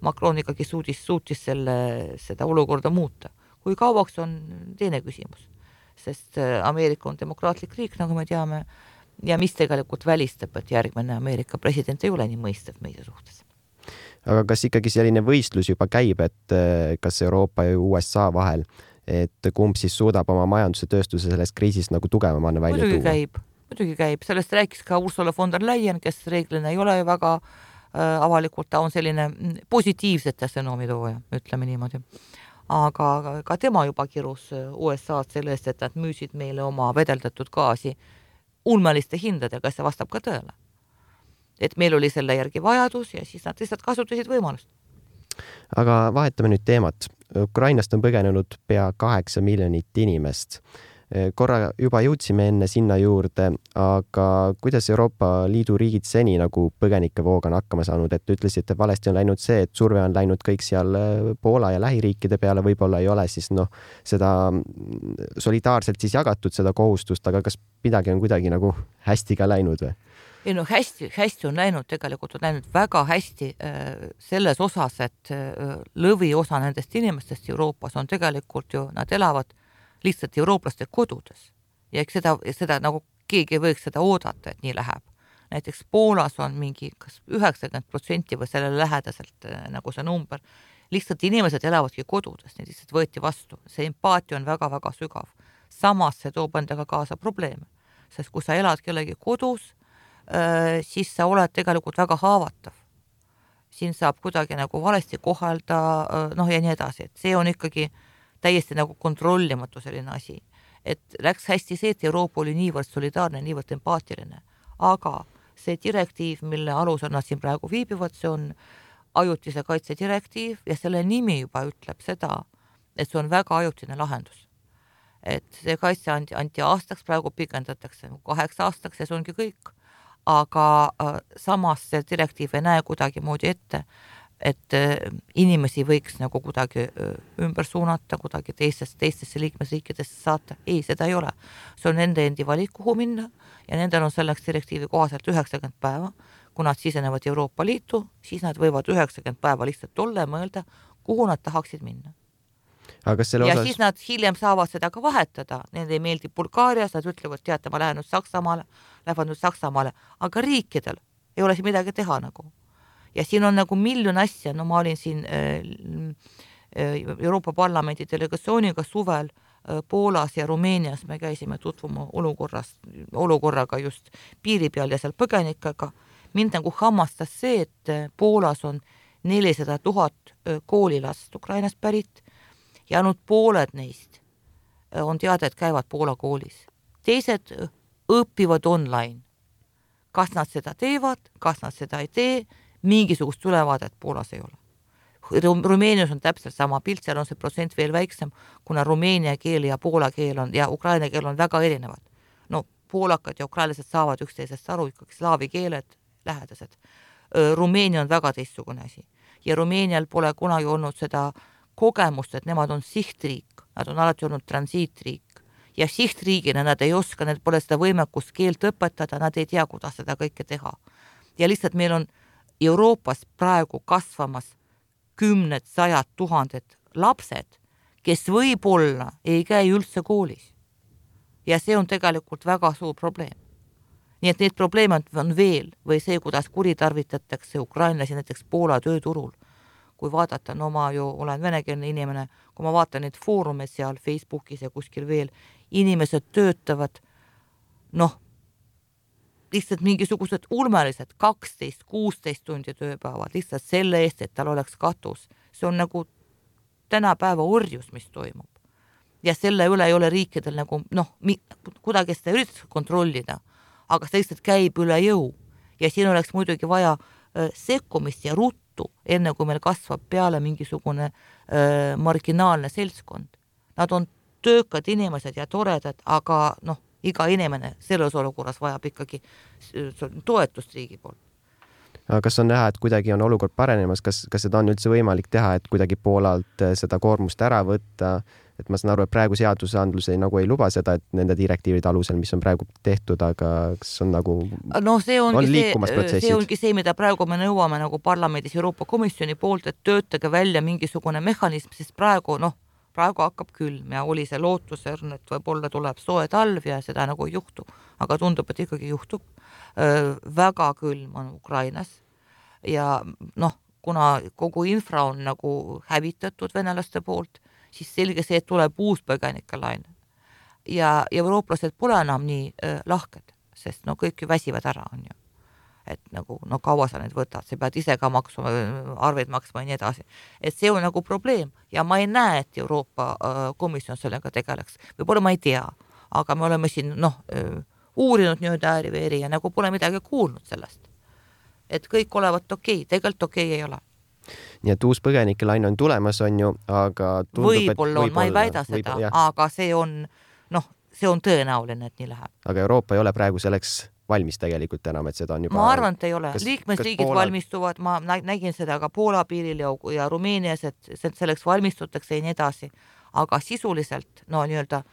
Macron ikkagi suutis, suutis selle, seda olukorda muuta. Kui kauaks on teine küsimus, sest Ameerika on demokraatlik riik, nagu me teame, ja mis tegelikult välistab, et järgmine Ameerika president ei ole nii mõistev meie suhtes. Aga kas ikkagi selline võistlus juba käib, et kas Euroopa ja U S A vahel, et kumb siis suudab oma majanduse tööstuse sellest kriisist nagu tugevamana välja muidugi tuua? Käib, muidugi käib. Sellest rääkis ka Ursula von der Leyen, kes reeglina ei ole väga äh, avalikult, ta on selline positiivsete sõnomitooja, ütleme niimoodi. Aga ka tema juba kirus U S A-d sellest, et nad müüsid meile oma vedeldatud gaasi ulmeliste hindadega, see vastab ka tõele. Et meil oli selle järgi vajadus ja siis nad lihtsalt kasutasid võimalust. Aga vahetame nüüd teemat. Ukrainast on põgenenud pea kaheksa miljonit inimest. Korra juba jõudsime enne sinna juurde, aga kuidas Euroopa Liidu riigid seni nagu põgenikevooga on hakkama saanud, et ütlesite, et valesti on läinud see, et surve on läinud kõik seal Poola ja lähiriikide peale, võib-olla ei ole siis noh, seda solidaarselt siis jagatud seda kohustust, aga kas midagi on kuidagi nagu hästi ka läinud või? ei no hästi, hästi on läinud, tegelikult on läinud väga hästi selles osas, et lõvi osa nendest inimestest Euroopas on tegelikult ju, nad elavad lihtsalt eurooplaste kodudes. Ja eks seda, seda nagu keegi ei võiks seda oodata, et nii läheb. Näiteks Poolas on mingi kas üheksakümmend protsenti või sellele lähedaselt nagu see number. Lihtsalt inimesed elavadki kodudes, need lihtsalt võeti vastu. See empaatia on väga-väga sügav. Samas see toob endaga kaasa probleeme. Sest kui sa elad kellegi kodus, siis sa oled tegelikult väga haavatav. Siin saab kuidagi nagu valesti kohelda, noh ja nii edasi. Et see on ikkagi täiesti nagu kontrollimatu selline asi. Et läks hästi see, et Euroopa oli niivõrd solidaarne, niivõrd empaatiline. Aga see direktiiv, mille alusel nad siin praegu viibivad, see on ajutise kaitse direktiiv ja selle nimi juba ütleb seda, et see on väga ajutine lahendus. Et see kaitse anti, anti aastaks, praegu pikendatakse kaheks aastaks ja see ongi kõik. Aga äh, samas see direktiiv ei näe kuidagi moodi ette, et äh, inimesi võiks nagu kuidagi äh, ümber suunata, kuidagi teistest, teistesse liikmesriikidesse saata. Ei, seda ei ole. See on nende endi valik, kuhu minna ja nendel on selleks direktiivi kohaselt üheksakümmend päeva. Kui nad sisenevad Euroopa Liitu, siis nad võivad üheksakümmend päeva lihtsalt olla ja mõelda, kuhu nad tahaksid minna. Aga selle ja osas... siis nad hiljem saavad seda ka vahetada. Nende ei meeldi Bulgaarias, nad ütlevad, teate, ma lähen nüüd Saksamaale, lähevad nüüd Saksamaale, aga riikidel ei ole siin midagi teha nagu. Ja siin on nagu miljon asja, no ma olin siin äh, Euroopa Parlamendi delegatsiooniga suvel äh, Poolas ja Rumeenias, me käisime tutvuma olukorrast, olukorraga just piiri peal ja seal põgenikega. Mind nagu hammastas see, et Poolas on nelisada tuhat koolilast Ukrainast pärit ja ainult pooled neist on teada, et käivad Poola koolis. Teised õpivad online. Kas nad seda teevad, kas nad seda ei tee, mingisugust ülevaadet Poolas ei ole. Rumeenias on täpselt sama pilt, seal on see protsent veel väiksem, kuna rumeenia keel ja poola keel on, ja ukraina keel on väga erinevad. No poolakad ja ukrainlased saavad üksteisest aru, ikkagi slaavi keeled lähedased. Rumeenia on väga teistsugune asi. Ja Rumeenial pole kunagi olnud seda kogemust, et nemad on sihtriik, nad on alati olnud transiitriik ja sihtriigina nad ei oska, need pole seda võimekust keelt õpetada, nad ei tea, kuidas seda kõike teha. Ja lihtsalt meil on Euroopas praegu kasvamas kümned, sajad, tuhanded lapsed, kes võib-olla ei käi üldse koolis. Ja see on tegelikult väga suur probleem. Nii et need probleemid on veel või see, kuidas kuritarvitatakse ukrainlasi näiteks Poola tööturul. Kui vaadata, no ma ju olen venekeelne inimene, kui ma vaatan neid foorume seal Facebookis ja kuskil veel, inimesed töötavad, noh, lihtsalt mingisugused ulmelised kaksteist kuusteist tundi tööpäevad, lihtsalt selle eest, et tal oleks katus. See on nagu tänapäeva orjus, mis toimub. Ja selle üle ei ole riikidel nagu, noh, kuidagi seda üritas kontrollida, aga see lihtsalt käib üle jõu. Ja siin oleks muidugi vaja äh, sekkumist ja ruttu, enne kui meil kasvab peale mingisugune äh, marginaalne seltskond. Nad on töökad inimesed ja toredad, aga noh, iga inimene selles olukorras vajab ikkagi toetust riigi poolt. Aga kas on näha, et kuidagi on olukord parenemas, kas, kas seda on üldse võimalik teha, et kuidagi Poolalt seda koormust ära võtta? Et ma saan aru, et praegu seadusandlus ei, nagu ei luba seda, et nende direktiivide alusel, mis on praegu tehtud, aga kas on nagu no, see ongi on liikumas see, protsessid? See ongi see, mida praegu me nõuame nagu parlamendis Euroopa Komisjoni poolt, et töötage välja mingisugune mehhanism, sest praegu, noh, praegu hakkab külm ja oli see lootusern, et võib-olla tuleb soe talv ja seda nagu ei juhtu. Aga tundub, et ikkagi juhtub. Väga külm on Ukrainas ja noh, kuna kogu infra on nagu hävitatud venelaste poolt, siis selge see, et tuleb uus põgenikelaine. Ja eurooplased pole enam nii äh, lahked, sest no kõik ju väsivad ära, on ju. Et nagu, no kaua sa need võtad, sa pead ise ka maksma, arveid maksma ja nii edasi. Et see on nagu probleem ja ma ei näe, et Euroopa äh, komisjon sellega tegeleks. Võib-olla ma ei tea, aga me oleme siin noh, äh, uurinud nüüd ääri-veeri ja nagu pole midagi kuulnud sellest. Et kõik olevat okei, tegelikult okei ei ole. Nii et uus põgenikelaine on tulemas, on ju, aga tundub, võib-olla on, ma ei väida seda, võib, aga see on, noh, see on tõenäoline, et nii läheb. Aga Euroopa ei ole praegu selleks valmis tegelikult enam, et seda on juba... Ma arvan, et ei ole. Kas, liikmesriigid Poola... valmistuvad, ma nägin seda ka Poola piiril ja Rumeenias, et selleks valmistutakse ja nii edasi. Aga sisuliselt, no nii-öelda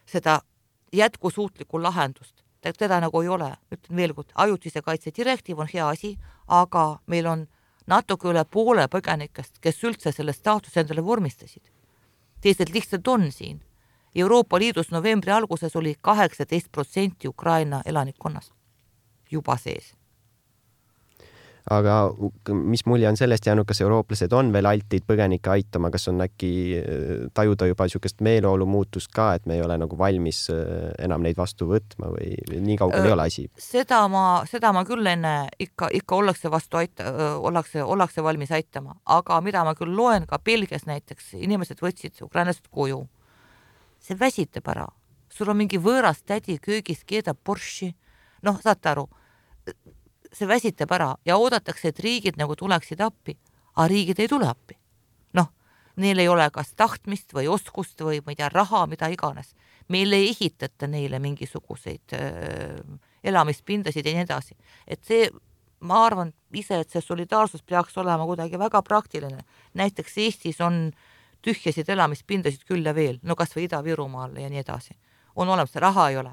seda jätkusuutlikku lahendust teda nagu ei ole. Ütlen veel kord, ajutise kaitse direktiiv on hea asi, aga meil on natuke üle poole põgenikest, kes üldse selle staatuse endale vormistasid. Teised lihtsalt on siin. Euroopa Liidus novembri alguses oli kaheksateist protsenti Ukraina elanikkonnast juba sees. Aga mis mulje on sellest jäänud, kas eurooplased on veel altid põgenikke aitama, kas on äkki tajuda juba niisugust meeleolu muutust ka, et me ei ole nagu valmis enam neid vastu võtma või nii kaugel ei ole asi? Seda ma, seda ma küll enne ikka, ikka ollakse vastu aita, ollakse, ollakse valmis aitama, aga mida ma küll loen ka Belgias näiteks, inimesed võtsid ukrainlased koju. See väsitab ära. Sul on mingi võõras tädi köögis, keedab borši. Noh, saate aru, see väsitab ära ja oodatakse, et riigid nagu tuleksid appi, aga riigid ei tule appi. Noh, neil ei ole kas tahtmist või oskust või ma ei tea, raha, mida iganes. Meil ei ehitata neile mingisuguseid äh, elamispindasid ja nii edasi. Et see, ma arvan ise, et see solidaarsus peaks olema kuidagi väga praktiline. Näiteks Eestis on tühjasid elamispindasid küll ja veel, no kas või Ida-Virumaal ja nii edasi. On olemas, raha ei ole.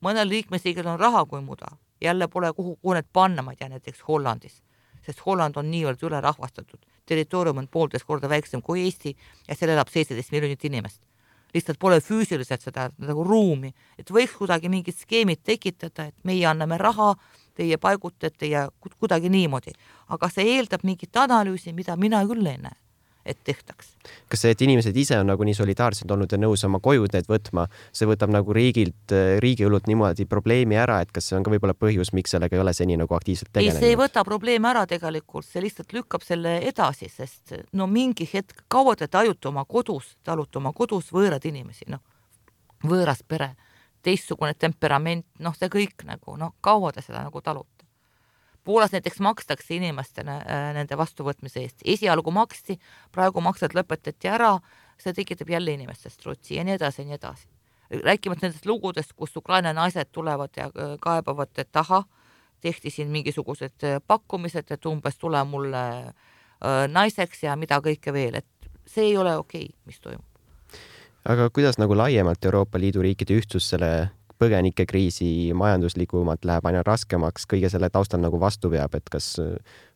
Mõnel liikmesriigil on raha kui muda. Jälle pole kuhu, kuhu need panna, ma ei tea, näiteks Hollandis. Sest Holland on niivõrd üle rahvastatud. Territoorium on poolteist korda väiksem kui Eesti ja seal elab seitseteist miljonit inimest. Lihtsalt pole füüsiliselt seda nagu ruumi, et võiks kuidagi mingid skeemid tekitada, et meie anname raha, teie paigutate ja kuidagi niimoodi. Aga see eeldab mingit analüüsi, mida mina küll ei näe, et tehtaks. Kas see, et inimesed ise on nagu nii solidaarsed olnud ja nõus oma kojud need võtma, see võtab nagu riigilt, riigiõlult niimoodi probleemi ära, et kas see on ka võib-olla põhjus, miks sellega ei ole seni nagu aktiivselt tegelenud? Ei, see ei võta probleemi ära tegelikult, see lihtsalt lükkab selle edasi, sest no mingi hetk kaua te tajute oma kodus, talute oma kodus võõrad inimesi, noh, võõras pere, teistsugune temperament, noh, see kõik nagu, noh, kaua te seda nagu talute. Poolas näiteks makstakse inimestele nende vastuvõtmise eest. Esialgu maksti, praegu maksed lõpetati ära, see tekitab jälle inimestest rutsi ja nii edasi ja nii edasi. Rääkimata nendest lugudest, kus Ukraina naised tulevad ja kaebavad, et taha, tehti siin mingisugused pakkumised, et umbes tule mulle naiseks ja mida kõike veel, et see ei ole okei, mis toimub. Aga kuidas nagu laiemalt Euroopa Liidu riikide ühtsus selle põgenikekriisi majanduslikumalt läheb aina raskemaks, kõige selle taustal nagu vastu peab, et kas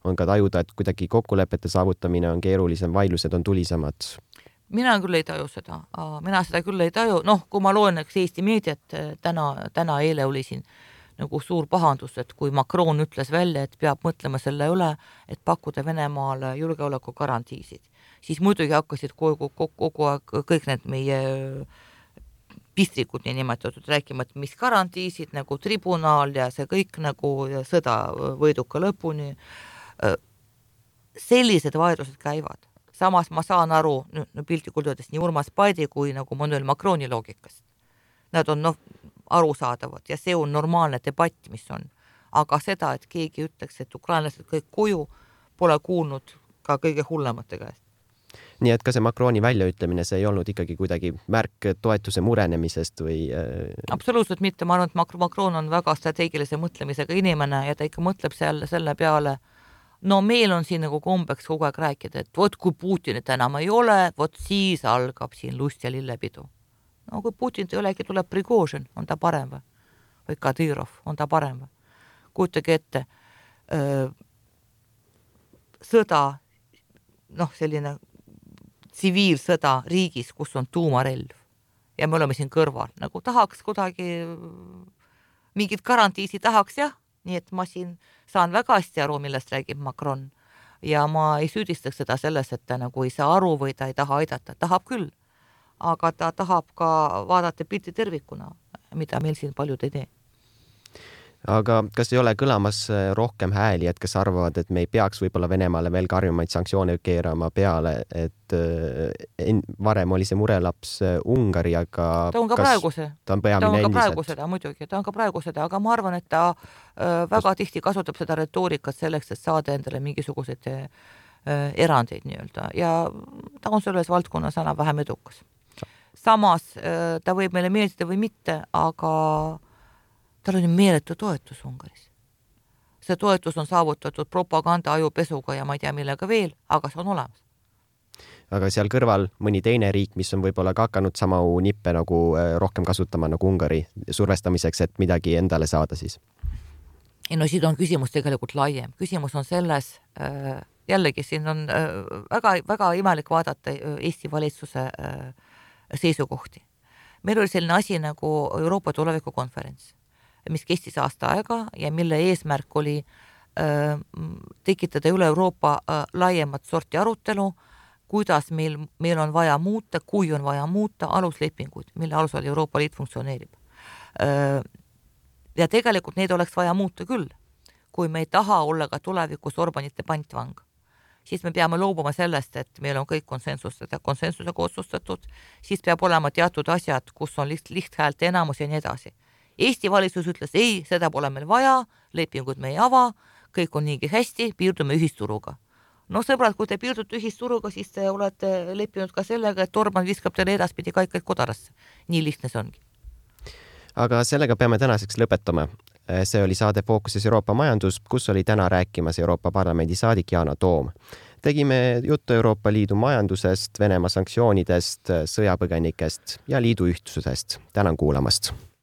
on ka tajuda, et kuidagi kokkulepete saavutamine on keerulisem, vaidlused on tulisemad? Mina küll ei taju seda, mina seda küll ei taju, noh, kui ma loen Eesti meediat, täna, täna eile oli siin nagu suur pahandus, et kui Macron ütles välja, et peab mõtlema selle üle, et pakkuda Venemaale julgeoleku garantiisid, siis muidugi hakkasid kogu, kogu, kogu aeg kõik need meie pistrikud nii nimetatud rääkima, et mis garantiisid nagu tribunal ja see kõik nagu sõda võiduka lõpuni. Sellised vaidlused käivad. Samas ma saan aru, no piltlikult öeldes nii Urmas Paidi kui nagu Emmanuel Macroni loogikast. Nad on noh, arusaadavad ja see on normaalne debatt, mis on. Aga seda, et keegi ütleks, et ukrainlased kõik koju, pole kuulnud ka kõige hullemate käest. Nii et ka see Macroni väljaütlemine, see ei olnud ikkagi kuidagi märk toetuse murenemisest või... Absoluutselt mitte, ma arvan, et Macron on väga strateegilise mõtlemisega inimene ja ta ikka mõtleb selle, selle peale, no meil on siin nagu kombeks kogu aeg rääkida, et vot kui Putinit enam ei ole, vot siis algab siin lust ja lillepidu. No kui Putinit ei olegi, tuleb Prigožin, on ta parem või? Või Kadyrov, on ta parem või? Kujutage ette, öö, sõda, noh, selline tsiviilsõda riigis, kus on tuumarelv ja me oleme siin kõrval, nagu tahaks kuidagi mingid garantiisi tahaks, jah, nii et ma siin saan väga hästi aru, millest räägib Macron ja ma ei süüdistaks seda selles, et ta nagu ei saa aru või ta ei taha aidata, tahab küll, aga ta tahab ka vaadata pilti tervikuna, mida meil siin paljud ei tee. Aga kas ei ole kõlamas rohkem hääli, et kes arvavad, et me ei peaks võib-olla Venemaale veel karjumaid sanktsioone keerama peale, et varem oli see murelaps Ungari, aga ta on ka praegu see. Ta on peamine endiselt. Ta on ka praegu seda, muidugi, ta on ka praegu seda, aga ma arvan, et ta väga tihti kasutab seda retoorikat selleks, et saada endale mingisuguseid erandeid nii-öelda ja ta on selles valdkonnas enam vähem edukas. Samas ta võib meile meeldida või mitte, aga tal on meeletu toetus Ungaris. See toetus on saavutatud propaganda ajupesuga ja ma ei tea millega veel, aga see on olemas. aga seal kõrval mõni teine riik, mis on võib-olla ka hakanud sama nippe nagu rohkem kasutama nagu Ungari survestamiseks, et midagi endale saada siis? Ja no siin on küsimus tegelikult laiem. Küsimus on selles, jällegi siin on väga, väga imelik vaadata Eesti valitsuse seisukohti. Meil oli selline asi nagu Euroopa tulevikukonferents, mis kestis aasta aega ja mille eesmärk oli tekitada üle Euroopa laiemat sorti arutelu, kuidas meil, meil on vaja muuta, kui on vaja muuta aluslepinguid, mille alusel Euroopa Liit funktsioneerib. Ja tegelikult neid oleks vaja muuta küll. Kui me ei taha olla ka tulevikus Orbanite pantvang, siis me peame loobuma sellest, et meil on kõik konsensused, konsensusega otsustatud, siis peab olema teatud asjad, kus on liht, lihthäälte enamus ja nii edasi. Eesti valitsus ütles, ei, seda pole meil vaja, lepingud me ei ava, kõik on niigi hästi, piirdume ühisturuga. No sõbrad, kui te piirdute ühisturuga, siis te olete leppinud ka sellega, et Orban viskab teile edaspidi kaikaid kodarasse. Nii lihtne see ongi. Aga sellega peame tänaseks lõpetama. See oli saade Fookuses Euroopa majandus, kus oli täna rääkimas Euroopa Parlamendi saadik Yana Toom. Tegime juttu Euroopa Liidu majandusest, Venemaa sanktsioonidest, sõjapõgenikest ja liidu ühtsusest. Tänan kuulamast!